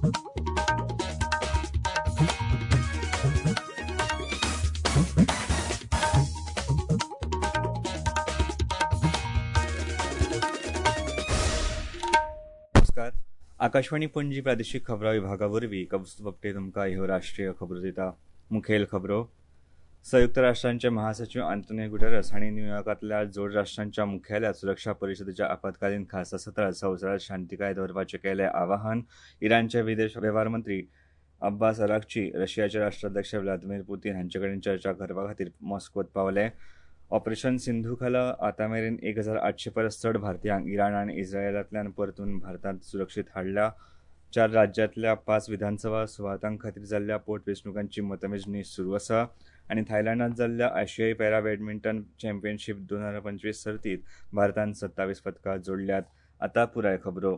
नमस्कार, आकाशवाणी पणजी प्रादेशीक खबरां विभागा वरवीं कौस्तुभ आपटे तुमकां ह्यो राष्ट्रीय खबरो दिता. मुखेल खबरो. संयुक्त राष्ट्रांचे महासचिव आंतोनियो गुटेरस हांणी न्यूयॉर्कांतल्या जोड राष्ट्रांच्या मुख्यालयांत सुरक्षा परिशदेच्या आपत्कालीन खासा सत्रांत संवसारांत शांतिकाय दवरपाचें केलें आवाहन. इराणचे विदेश वेव्हार मंत्री अब्बास अराघची रशियाचे राष्ट्राध्यक्ष व्लादिमीर पुतीन हांचे कडेन चर्चा करपा खातीर मॉस्कोत पावले. ऑपरेशन सिंधू खाला आतां मेरेन 1800 परस चड भारतीयांक इराण आनी इस्रायलांतल्यान परतून भारतांत सुरक्षीत हाडल्या. 4 राज्यांतल्या 5 विधानसभा सुवातां खातीर जाल्ल्या पोटवेंचणुकांची मतमेजणी सुरू आसा. आनी थायलंडांत जाल्ल्या आशियाई पॅरा बॅडमिंटन चॅम्पियनशीप 2025 सर्तींत भारतान 27 पदकां जोडल्यात. आतां पुराय खबरो.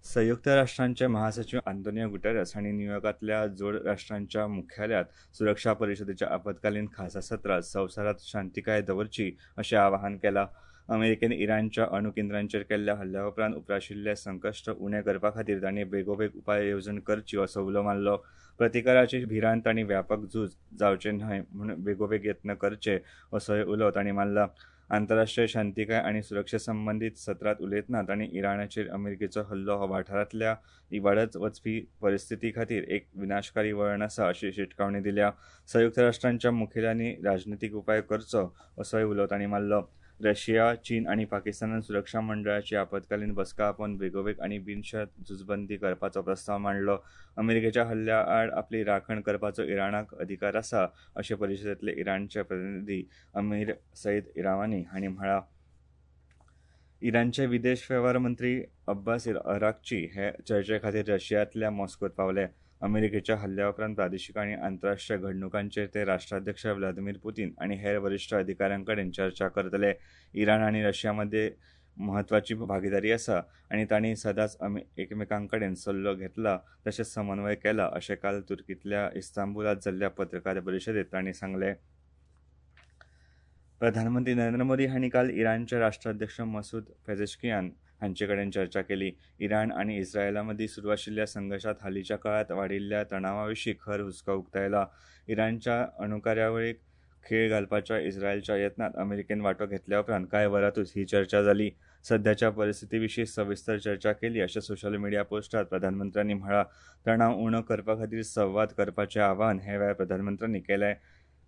संयुक्त राष्ट्रांचे महासचिव आंतोनियो गुटेरस हांणी न्यूयॉर्कांतल्या जोड राष्ट्रांच्या मुख्यालयांत सुरक्षा परिशदेच्या आपत्कालीन खासा सत्रांत संवसारांत शांतिकाय दवरची अशें आवाहन केलां. अमेरिकेन इराणच्या अणू केंद्रांचेर केल्ल्या हल्ल्या उपरांत उप्राशिल्लें संकश्ट उणें करपा खातीर तांणी बेगोबेग उपाय येवजण करची असो उलो मारलो. प्रतिकाराची भिरांत आनी व्यापक झूज जावचें न्हय म्हूण बेगोबेग यत्न करचे असोय उलो तांणी मारला. आंतरराष्ट्रीय शांतिकाय आनी सुरक्षे संबंदीत सत्रांत उलयतना तांणी इराणाचेर अमेरिकेचो हल्लो हो वाठारांतल्या इबाडत वचपी परिस्थिती खातीर एक विनाशकारी वळण आसा अशी शिटकावणी दिल्या. संयुक्त राष्ट्रांच्या मुखेल्यांनी राजनितीक उपाय करचो असोय उलो तांणी मारलो. रशिया, चीन आनी पाकिस्तानान सुरक्षा मंडळाची आपत्कालीन बसका आपोवन बेगोबेग आनी बिनशर्त झुजबंदी करपाचो प्रस्ताव मांडलो. अमेरिकेच्या हल्ल्या आड आपली राखण करपाचो इराणाक अधिकार आसा अशें परिशदेंतले इराणचे प्रतिनिधी अमीर सईद इरावानी हांणी म्हळां. इराणचे विदेश वेव्हार मंत्री अब्बास अराघची हे चर्चे खातीर रशियांतल्या मॉस्कोत पावले. अमेरिकेच्या हल्ल्या उपरांत प्रादेशीक आनी आंतरराष्ट्रीय घडणुकांचेर ते राष्ट्राध्यक्ष व्लादिमीर पुतीन आनी हेर वरिश्ठ अधिकाऱ्यां कडेन चर्चा करतले. इराण आनी रशिया मदीं म्हत्वाची भागिदारी आसा आनी तांणी सदांच एकमेकां कडेन सल्लो घेतला तशेंच समन्वय केला अशें काल तुर्कींतल्या इस्तांबुलांत जाल्ल्या पत्रकार परिशदेंत तांणी सांगलें. प्रधानमंत्री नरेंद्र मोदी हांणी काल इराणचे राष्ट्राध्यक्ष मसूद पेजेश्कियान हांचे कडेन चर्चा केली. इराण आनी इस्रायला मदीं सुरू आशिल्ल्या संघर्शांत हालींच्या काळांत वाडिल्ल्या तणावा विशीं खर हुस्को उक्तायला. इराणच्या अणुकार्यावळीक खेळ घालपाच्या इस्रायलच्या यत्नांत अमेरिकेन वांटो घेतल्या उपरांत कांय वरांतूच ही चर्चा जाली. सध्याच्या परिस्थिती विशीं सविस्तर चर्चा केली अशें सोशल मिडिया पोस्टांत प्रधानमंत्र्यांनी म्हळां. तणाव उणो करपा खातीर संवाद करपाचें आवाहन हे वेळार प्रधानमंत्र्यांनी केलें.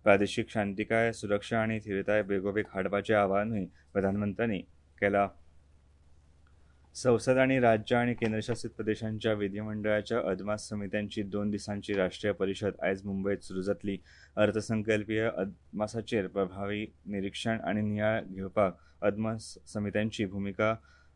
प्रादेशीक शांतिकाय, सुरक्षा आनी थिरताय बेगोबेग हाडपाचें आवाहनूय प्रधानमंत्र्यांनी केलां. संसद आनी राज्य आनी केंद्रशासीत प्रदेशांच्या विधिमंडळाच्या अदमास समित्यांची 2 दिसांची राष्ट्रीय परिशद आयज मुंबयत सुरू जातली. अर्थसंकल्पीय अदमासाचेर प्रभावी निरीक्षण आनी नियाळ घेवपाक अदमास समित्यांची भुमिका,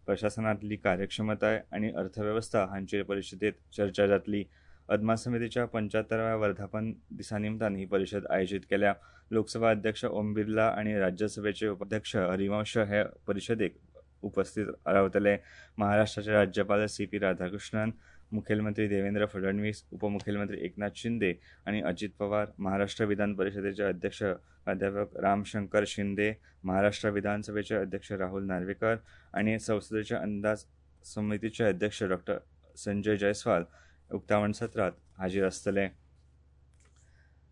प्रशासनांतली कार्यक्षमताय आनी अर्थवेवस्था हांचेर परिशदेंत चर्चा जातली. अदमास समितीच्या 75व्या वर्धापन दिसा निमतान ही परिशद आयोजीत केल्या. लोकसभा अध्यक्ष ओम बिर्ला आनी राज्यसभेचे उपाध्यक्ष हरिवंश हे परिशदेक उपस्थित रावतले. महाराष्ट्राचे राज्यपाल सी.पी. राधाकृष्णन, मुखेलमंत्री देवेंद्र फडणवीस, उपमुखेलमंत्री एकनाथ शिंदे आनी अजित पवार, महाराष्ट्र विधान परिशदेचे अध्यक्ष प्राध्यापक रामशंकर शिंदे, महाराष्ट्र विधानसभेचे अध्यक्ष राहुल नार्वेकर आनी संसदेच्या अंदाज समितीचे अध्यक्ष डॉ. संजय जयस्वाल उक्तावण सत्रांत हाजीर आसतले.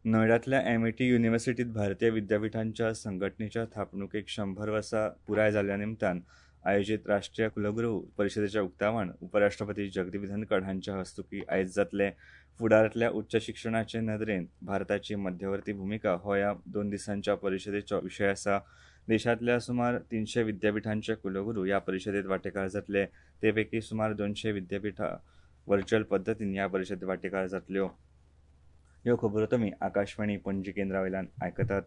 नोयडांतल्या एमआयटी युनिव्हर्सिटींत भारतीय विद्यापिठांच्या संघटनेच्या थापणुकेक 100 वर्सां पुराय जाल्ल्या निमतान आयोजीत राष्ट्रीय कुलगुरू परिशदेचें उक्तावण उपराष्ट्रपती जगदीप धनखड हांच्या हस्तुकीं आयज जातलें. फुडारांतल्या उच्च शिक्षणाचे नदरेन भारताची मध्यवर्ती भुमिका हो ह्या 2 दिसांच्या परिशदेचो विशय आसा. देशांतल्या सुमार 300 विद्यापिठांचे कुलगुरू ह्या परिशदेंत वांटेकार जातले. ते पैकी सुमार 200 विद्यापिठां व्हर्च्युअल पद्दतीन ह्या परिशदेंत वांटेकार जातल्यो. ह्यो खबरो तुमी आकाशवाणी पणजी केंद्रा वयल्यान आयकतात.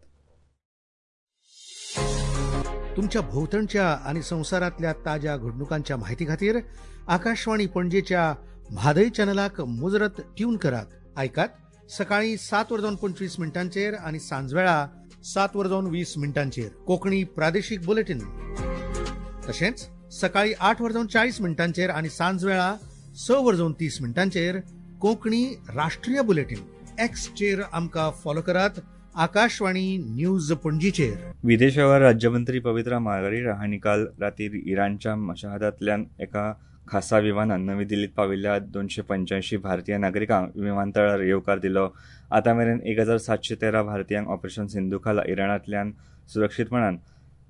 तुमच्या भोवतणच्या आणि संवसारांतल्या ताज्या घडणुकांच्या माहिती खातीर आकाशवाणी पणजेच्या म्हादय चॅनलाक मुजरत ट्यून करात. आयकात सकाळी 7:25 आणि सांजवेळा 7:20 कोकणी प्रादेशीक बुलेटिन. तशेंच सकाळी 8:40 आणि सांजवेळा 6:30 कोकणी राष्ट्रीय बुलेटिन. एक्सचेर आमकां फॉलो करात आकाशवाणी न्यूज पणजीचेर. विदेश व्यवहार राज्यमंत्री पवित्रा मार्गरिटा हांणी काल रातीर इराणच्या मशहादांतल्यान एका खासा विमानान नवी दिल्लीत पाविल्ल्या 285 भारतीय नागरिकांक विमानतळार येवकार दिलो. आतां मेरेन 1713 भारतीयांक ऑपरेशन सिंधू खाला इराणांतल्यान सुरक्षीतपणान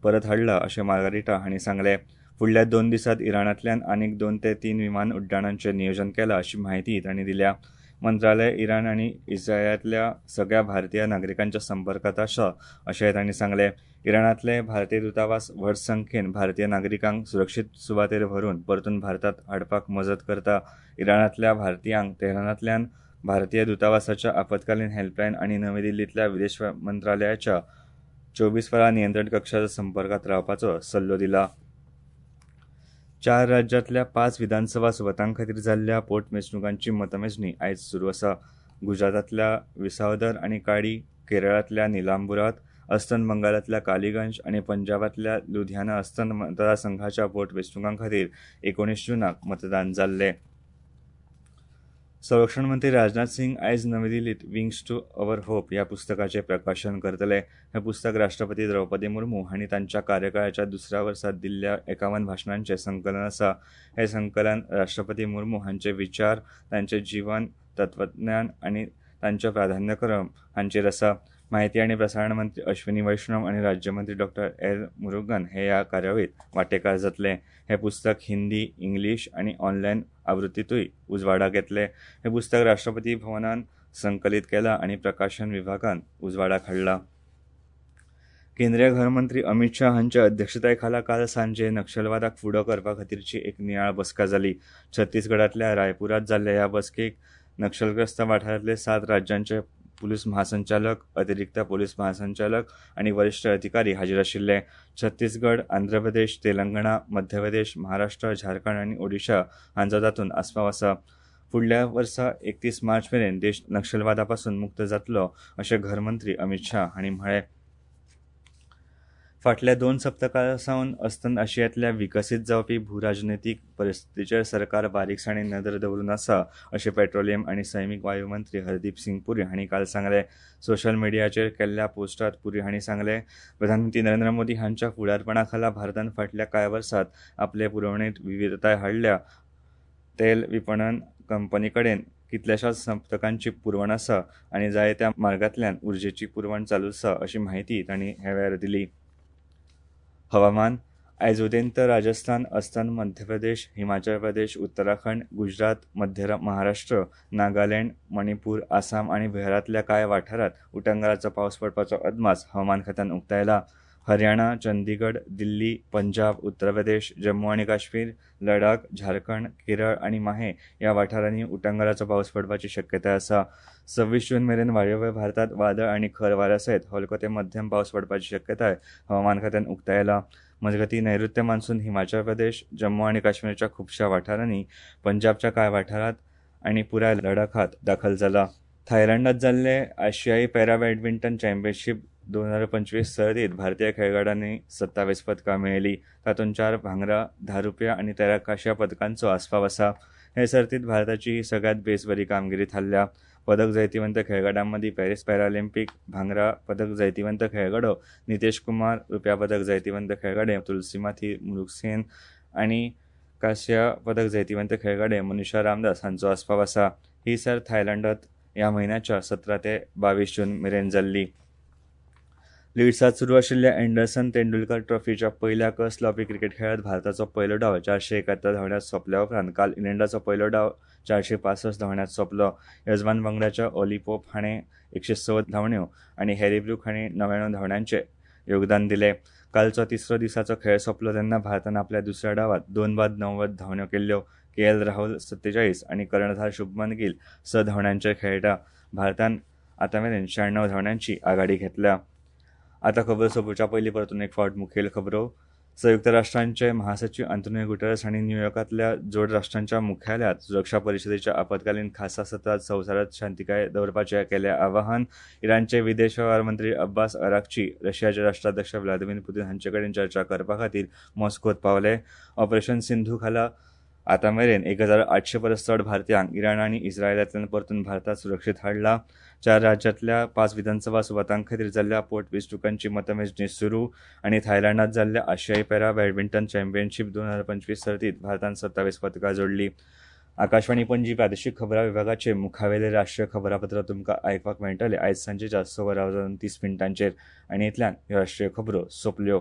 परत हाडला अशें मार्गारिटा हांणी सांगलें. फुडल्या 2 दिसांत इराणांतल्यान आनीक 2 ते 3 विमान उड्डाणांचें नियोजन केलां अशी म्हायती तांणी दिल्या. मंत्रालय इराण आनी इस्रायलांतल्या सगळ्या भारतीय नागरिकांच्या संपर्कात आसा अशेंय तांणी सांगलें. इराणांतले भारतीय दूतावास व्हड संख्येन भारतीय नागरिकांक सुरक्षीत सुवातेर व्हरून परतून भारतांत हाडपाक मजत करता. इराणांतल्या भारतीयांक तेहरानांतल्यान भारतीय दूतावासाच्या आपत्कालीन हेल्पलायन आनी नवी दिल्लींतल्या विदेश मंत्रालयाच्या 24 वरां नियंत्रण कक्षाच्या संपर्कात रावपाचो सल्लो दिला. 4 राज्यांतल्या 5 विधानसभा सुवातां खातीर जाल्ल्या पोटवेंचणुकांची मतमेजणी आयज सुरू आसा. गुजरातांतल्या विसावदर आनी काडी, केरळांतल्या निलांबुरात, अस्तंत बंगालांतल्या कालीगंज आनी पंजाबांतल्या लुधियाना अस्तंत मतदारसंघाच्या पोटवेंचणुकां खातीर 19 जूनाक मतदान जाल्लें. संरक्षण मंत्री राजनाथ सिंग आयज नवी दिल्लीत विंग्स टू our hope ह्या पुस्तकाचें प्रकाशन करतले. हें पुस्तक राष्ट्रपती द्रौपदी मुर्मू हांणी तांच्या कार्यकाळाच्या दुसऱ्या वर्सा दिल्ल्या 51 भाशणांचें संकलन आसा. हें संकलन राष्ट्रपती मुर्मू हांचे विचार, तांचें जीवन, तत्वज्ञान आनी तांचो प्राधान्यक्रम हांचेर आसा. माहिती आनी प्रसारण मंत्री अश्विनी वैष्णव आनी राज्यमंत्री डॉ. एल मुरुगन हे ह्या कार्यावळीत वांटेकार जातले. हें पुस्तक हिंदी, इंग्लीश आनी ऑनलायन आवृत्तींतूय उजवाडाक येतलें. हें पुस्तक राष्ट्रपती भवनान संकलीत केलां आनी प्रकाशन विभागान उजवाडाक हाडलां. केंद्रीय घरमंत्री अमित शाह हांच्या अध्यक्षताये खाला काल सांजे नक्षलवादाक फुडो करपा खातीरची एक नियाळ बसका जाली. छत्तीसगडांतल्या रायपुरांत जाल्ल्या ह्या बसकेक नक्षलग्रस्त वाठारांतले 7 राज्यांचे पुलीस महासंचालक, अतिरिक्त पुलीस महासंचालक आनी वरिश्ठ अधिकारी हाजीर आशिल्ले. छत्तीसगड, आंध्र प्रदेश, तेलंगणा, मध्य प्रदेश, महाराष्ट्र, झारखंड आनी ओडिशा हांचो तातूंत आस्पाव आसा. फुडल्या वर्सा 31 मार्च मेरेन देश नक्षलवादा पासून मुक्त जातलो अशें घरमंत्री अमित शाह हांणी म्हळें. फाटल्या 2 सप्तकां सावन अस्तंत आशियांतल्या विकसीत जावपी भूराजनैतीक परिस्थितीचेर सरकार बारीकसाणेन नदर दवरून आसा अशें पेट्रोलियम आनी सैमीक वायू मंत्री हरदीप सिंग पुरी हांणी काल सांगलें. सोशल मिडियाचेर केल्ल्या पोस्टात पुरी हांणी सांगलें, प्रधानमंत्री नरेंद्र मोदी हांच्या फुडारपणा खाला भारतान फाटल्या कांय वर्सांत आपले पुरवणेंत विविधताय हाडल्या. तेल विपणन कंपनी कडेन कितल्याशाच सप्तकांची पुरवण आसा आनी जाय त्या मार्गांतल्यान उर्जेची पुरवण चालू आसा अशी म्हायती तांणी ह्या वेळार दिली. हवामान. आयज उदेंत राजस्थान, अस्तंत मध्य प्रदेश, हिमाचल प्रदेश, उत्तराखंड, गुजरात, मध्य महाराष्ट्र, नागालँड, मणिपूर, आसाम आनी बिहारांतल्या कांय वाठारांत उटंगाराचो पावस पडपाचो अदमास हवामान खात्यान उक्तायला. हरियाणा, चंदीगड, दिल्ली, पंजाब, उत्तर प्रदेश, जम्मू आनी काश्मीर, लडाख, झारखंड, केरळ आनी माहे ह्या वाठारांनी उटंगाराचो पावस पडपाची शक्यताय आसा. 26 जून मेरेन वायव्य भारतांत वादळ आनी खर वाऱ्या सयत हलको ते मध्यम पावस पडपाची शक्यताय हवामान खात्यान उक्तायला. मजगतीं, नैऋत्य मान्सून हिमाचल प्रदेश, जम्मू आनी काश्मीरच्या खुबश्या वाठारांनी, पंजाबच्या कांय वाठारांत आनी पुराय लडाखांत दाखल जाला. थायलंडांत जाल्ले आशियाई पॅरा बॅडमिंटन चॅम्पियनशीप 2025 सर्तीत भारतीय खेळगड्यांनी 27 पदकां मेळयली. तातूंत 4 भांगरा, 10 रुपया आनी 13 कांश्या पदकांचो आस्पाव आसा. हे सर्तीत भारताची ही सगळ्यांत बेस बरी कामगिरी थारल्या. पदक जैतिवंत खेळगड्यां मदीं पॅरीस पॅरालिम्पीक भांगरा पदक जैतिवंत खेळगडो नितेश कुमार, रुप्या पदक जैतिवंत खेळगडे तुलसीमाथी मुरुगसेन आनी कांस्या पदक जैतिवंत खेळगडे मनीषा रामदास हांचो आस्पाव आसा. ही सर्त थायलंडांत ह्या म्हयन्याच्या 17 ते 22 जून मेरेन जाल्ली. लिड्सांत सुरू आशिल्ल्या एंडरसन तेंडुलकर ट्रॉफीच्या पयल्या कस लावपी क्रिकेट खेळांत भारताचो पयलो डाव 471 धांवड्यांत सोंपल्या उपरांत काल इंग्लंडाचो पयलो डाव 465 धांवड्यांत सोंपलो. येजमान पंगडाच्या ओली पोप हाणें 106 धांवड्यो आनी हॅरी ब्रूक हाणें 99 धांवड्यांचें योगदान दिलें. कालचो तिसरो दिसाचो खेळ सोंपलो तेन्ना भारतान आपल्या दुसऱ्या डावांत 2 बाद 90 धांवड्यो केल्ल्यो. के एल राहुल 47 आनी कर्णधार शुभमन गिल 6 धांवड्यांचेर खेळटा. भारतान आतां मेरेन 96 धांवड्यांची आघाडी घेतल्या. आता खबर सोंपोवच्या पयलीं परतून एक फावट मुखेल खबरो. संयुक्त राष्ट्रांचे महासचिव आंतोनियो गुटेरस हांणी न्यूयॉर्कांतल्या जोड राष्ट्रांच्या मुख्यालयांत सुरक्षा परिशदेच्या आपत्कालीन खासा सत्रांत संवसारांत शांतिकाय दवरपाचें केलें आवाहन. इराणचे विदेश वेव्हार मंत्री अब्बास अराघची रशियाचे राष्ट्राध्यक्ष व्लादिमीर पुतीन हांचे कडेन चर्चा करपा खातीर मॉस्कोत पावले. ऑपरेशन सिंधू खाला आतां मेरेन 1800 परस चड भारतीयांक इराण आनी इस्रायलांतल्यान परतून भारतांत सुरक्षीत हाडला. 4 राज्यांतल्या 5 विधानसभा सुवातां खातीर जाल्ल्या पोटवेंचणुकांची मतमेजणी सुरू आनी थायलंडांत जाल्ल्या आशियाई पॅरा बॅडमिंटन चॅम्पियनशीप 2025 सर्तीत भारतान 27 पदकां जोडली. आकाशवाणी पणजी प्रादेशीक खबरां विभागाचे मुखावेले राष्ट्रीय खबरापत्र तुमकां आयकपाक मेळटले आयज सांजेच्या 6:30 आनी इतल्यान ह्यो राष्ट्रीय खबरो सोंपल्यो.